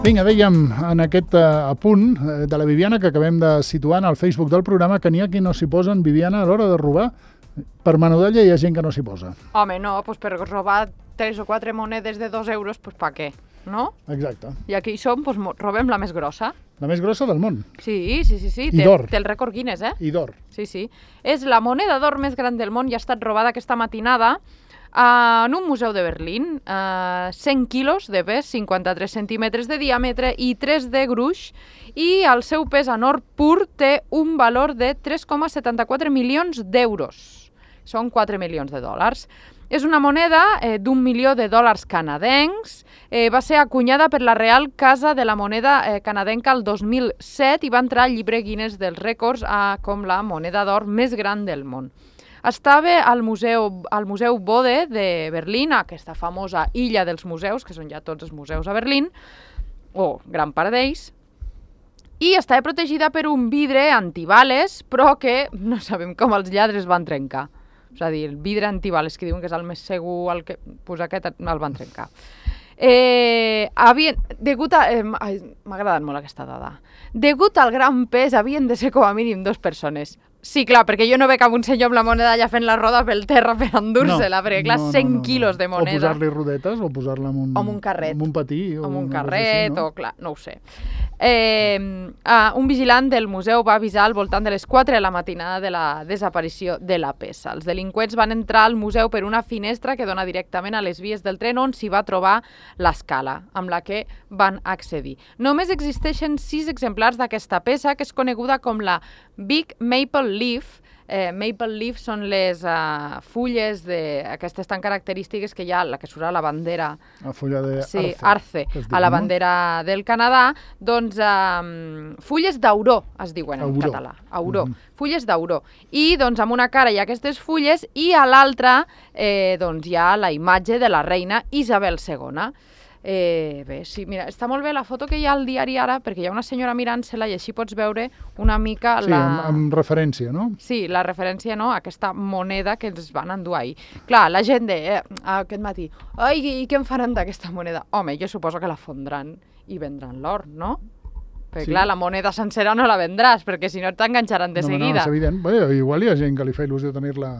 Vinga, dèiem en aquest apunt de la Viviana que acabem de situar en el Facebook del programa que n'hi ha qui no s'hi posen, Viviana, a l'hora de robar. Per menudalla hi ha gent que no s'hi posa. Home, no, doncs per robar 3 o 4 monedes de 2 euros, doncs per què? No? Exacte. I aquí som, doncs robem la més grossa. La més grossa del món. Sí. I d'or. Té el rècord Guinness, I d'or. Sí. És la moneda d'or més gran del món i ha estat robada aquesta matinada en un museu de Berlín. 100 quilos de pes, 53 centímetres de diàmetre i 3 de gruix. I el seu pes en or pur té un valor de 3,74 milions d'euros. Són 4 milions de dòlars. És una moneda d'1 milió de dòlars canadencs. Va ser acunyada per la Real Casa de la Moneda canadenca el 2007 i va entrar al llibre Guinness dels rècords com la moneda d'or més gran del món. Estava al Museu Bode de Berlín, aquesta famosa illa dels museus, que són ja tots els museus a Berlín, o gran part d'ells, i estava protegida per un vidre antibales, però que no sabem com els lladres van trencar. És a dir, el vidre antibales, que diuen que és el més segur, aquest el van trencar. M'ha agradat molt aquesta dada. Degut al gran pes, havien de ser com a mínim 2 persones. Sí, clar, perquè jo no veig un senyor amb la moneda allà fent la roda pel terra per endur-se-la, perquè clar, 100 quilos de moneda. O posar-li rodetes, o posar-la en un carret. En un patí. O en un carret, o clar, no ho sé. Un vigilant del museu va avisar al voltant de les 4 de la matinada de la desaparició de la peça. Els delinqüents van entrar al museu per una finestra que dona directament a les vies del tren on s'hi va trobar l'escala, amb la que van accedir. Només existeixen 6 exemplars d'aquesta peça, que és coneguda com la Big Maple Leaf. Maple leaf són les fulles aquestes tan característiques que hi ha, la que surt a la bandera, la fulla d'arce, sí, arce, a la bandera del Canadà, doncs fulles d'auró es diuen en català, auró, fulles d'auró. I doncs amb una cara hi ha aquestes fulles i a l'altra doncs hi ha la imatge de la reina Isabel II. Bé, sí, mira, està molt bé la foto que hi ha al diari Ara, perquè hi ha una senyora mirant-se-la i així pots veure una mica la... Sí, amb referència, no? Sí, la referència, no?, a aquesta moneda que ens van endur ahir. Clar, la gent aquest matí, ai, i què en faran d'aquesta moneda? Home, jo suposo que la fondran i vendran l'or, no? Perquè, clar, la moneda sencera no la vendràs, perquè si no t'enganxaran de seguida. No, és evident. Bé, igual hi ha gent que li fa il·lusió tenir-la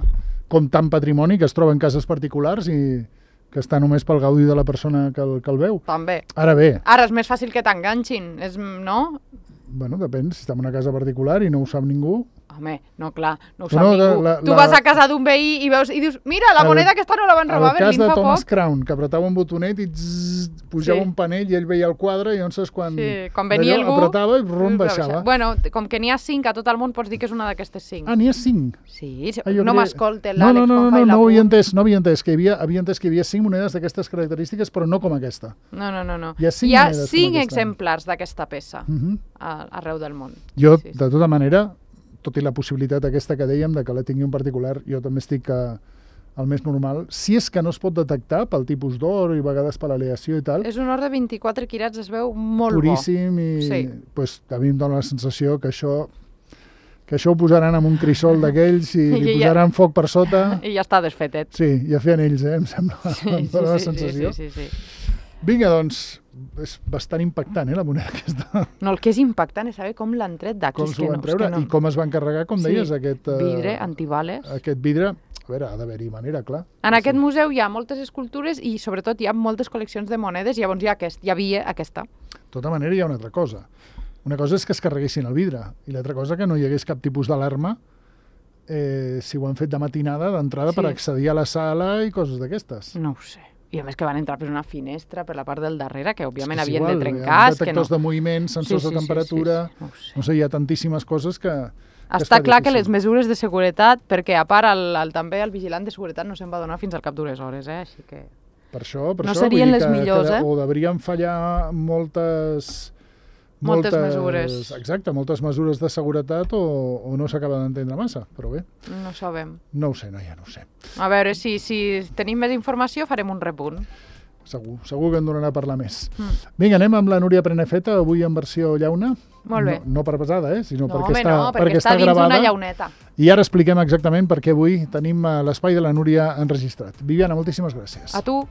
com tant patrimoni que es troba en cases particulars i que està només pel gaudi de la persona que el veu. També. Ara bé. Ara és més fàcil que t'enganxin, no? Bueno, depèn, si està en una casa particular i no ho sap ningú... Home, no, clar, no ho sap ningú. Tu vas a casa d'un veí i veus i dius, mira, la moneda aquesta no la van robar a Berlín fa poc. El cas de Thomas Crown, que apretava un botonet i pujava un panell i ell veia el quadre i llavors quan venia algú apretava i rum baixava. Bueno, com que n'hi ha 5 a tot el món, pots dir que és una d'aquestes 5. Ah, n'hi ha 5? Sí, no m'escolta l'Àlex quan fa no havia entès que hi havia 5 monedes d'aquestes característiques, però no com aquesta. No. Hi ha 5 exemplars d'aquesta peça arreu del món. Jo, de tota manera, tot i la possibilitat aquesta que dèiem de que la tingui un particular, jo també estic el més normal, si és que no es pot detectar pel tipus d'or i a vegades per l'aleació i tal. És un or de 24 quirats, es veu molt puríssim i pues, a mi em dóna la sensació que això ho posaran en un crisol d'aquells i li posaran foc per sota. I ja està desfetet. Sí, ja feien ells, em sembla, em dóna la sensació. Sí. Vinga, doncs, és bastant impactant, la moneda aquesta. No, el que és impactant és saber com l'han tret d'aquí. Com s'ho van treure i com es van carregar, com deies, aquest... vidre antibales. Aquest vidre, a veure, ha d'haver-hi manera, clar. En aquest museu hi ha moltes escultures i sobretot hi ha moltes col·leccions de monedes i llavors hi havia aquesta. De tota manera hi ha una altra cosa. Una cosa és que es carreguessin el vidre i l'altra cosa que no hi hagués cap tipus d'alarma si ho han fet de matinada, d'entrada per accedir a la sala i coses d'aquestes. No ho sé. I a més que van entrar per una finestra per la part del darrere, que òbviament havien de trencar. Hi ha detectors de moviment, sensors de temperatura... No sé, hi ha tantíssimes coses que... Està clar que les mesures de seguretat, perquè a part també el vigilant de seguretat no se'n va donar fins al cap d'unes hores, així que... Per això, no serien les millors, o deurien fallar moltes mesures. Exacte, moltes mesures de seguretat o no s'acaba d'entendre massa, però bé. No sabem. No ho sé, noia, no ho sé. A veure, si tenim més informació farem un repunt. Segur que en donarà a parlar més. Vinga, anem amb la Núria Prenafeta, avui en versió llauna. Molt bé. No per pesada, sinó perquè està dins gravada. una llauneta. I ara expliquem exactament per què avui tenim l'espai de la Núria enregistrat. Viviana, moltíssimes gràcies. A tu.